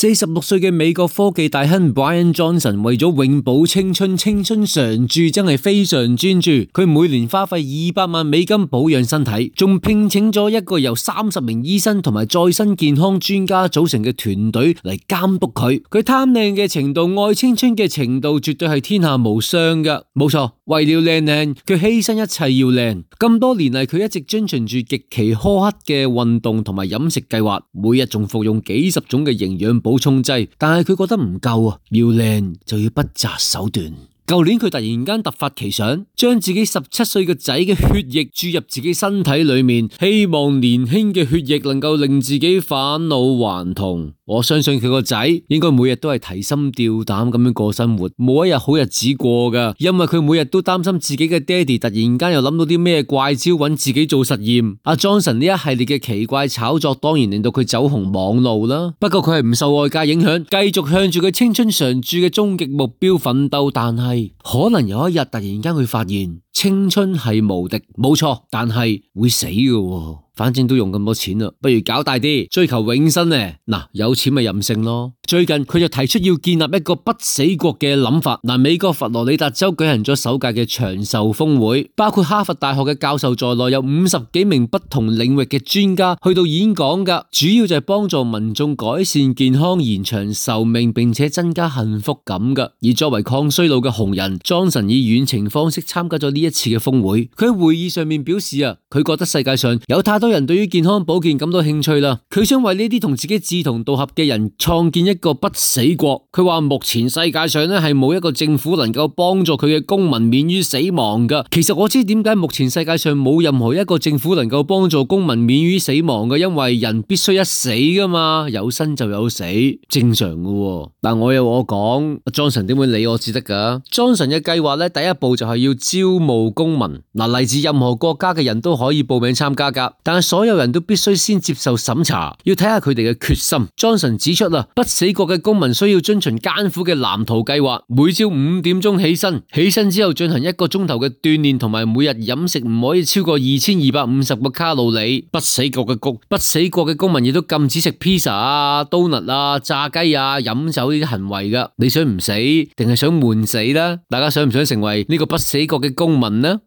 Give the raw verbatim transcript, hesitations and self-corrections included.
四十六歲嘅美國科技大亨 Brian Johnson 為咗永葆青春，青春常駐真係非常專注。佢每年花費二百萬美金保養身體，仲聘請咗一個由三十名醫生同埋再生健康專家組成嘅團隊嚟監督佢。佢貪靚嘅程度、愛青春嘅程度，絕對係天下無雙噶。冇錯，為了靚靚，佢犧牲一切要靚。咁多年嚟，佢一直遵循住極其苛刻嘅運動同埋飲食計劃，每日仲服用幾十種嘅營養補充劑，但係佢覺得唔夠啊，要靚就要不擇手段。舊年佢突然間突發奇想，將自己十七歲嘅仔嘅血液注入自己身體裏面，希望年輕嘅血液能夠令自己返老還童。我相信佢個仔應該每日都係提心吊膽咁樣過生活，冇一日好日子過噶，因為佢每日都擔心自己嘅爹哋突然間又諗到啲咩怪招揾自己做實驗。阿 Johnson 呢一系列嘅奇怪炒作，當然令到佢走紅網路啦。不過佢係唔受外界影響，繼續向住佢青春常駐嘅終極目標奮鬥。但係可能有一日突然間佢發現青春係無敵，冇錯，但係會死嘅。反正都用咁多錢啦，不如搞大啲，追求永生呢。嗱，有錢咪任性咯。最近佢就提出要建立一個不死國嘅諗法。嗱，美國佛羅里達州舉行咗首屆嘅長壽峰會，包括哈佛大學嘅教授在內，有五十幾名不同領域嘅專家去到演講噶，主要就係幫助民眾改善健康、延長壽命，並且增加幸福感噶。而作為抗衰老嘅紅人，Johnson以遠程方式參加咗呢一次嘅峰會。佢喺會議上面表示啊，佢覺得世界上有太多人對於健康保健感到興趣啦，佢想為呢啲同自己志同道合嘅人創建一個不死國。佢話目前世界上咧係冇一個政府能夠幫助佢嘅公民免於死亡噶。其實我知點解目前世界上冇任何一個政府能夠幫助公民免於死亡嘅，因為人必須一死噶嘛，有生就有死，正常噶。但我有我講，Johnson 點會理我至得噶？Johnson 嘅計劃咧，第一步就係要招募公民。嗱，嚟自任何國家嘅人都可以報名參加噶，但係所有人都必須先接受審查，要睇下佢哋嘅決心。Johnson 指出啊，不死國嘅公民需要遵循艱苦嘅藍圖計劃，每朝五點鐘起身，起身之後進行一個鐘頭嘅鍛煉，同埋每日飲食唔可以超過二千二百五十個卡路里。不死國嘅公不死國嘅公民亦都禁止食披薩啊、刀勒啊、炸雞啊、飲酒呢啲行為噶。你想唔死定係想悶死呢？大家想唔想成為呢個不死國嘅公民呢？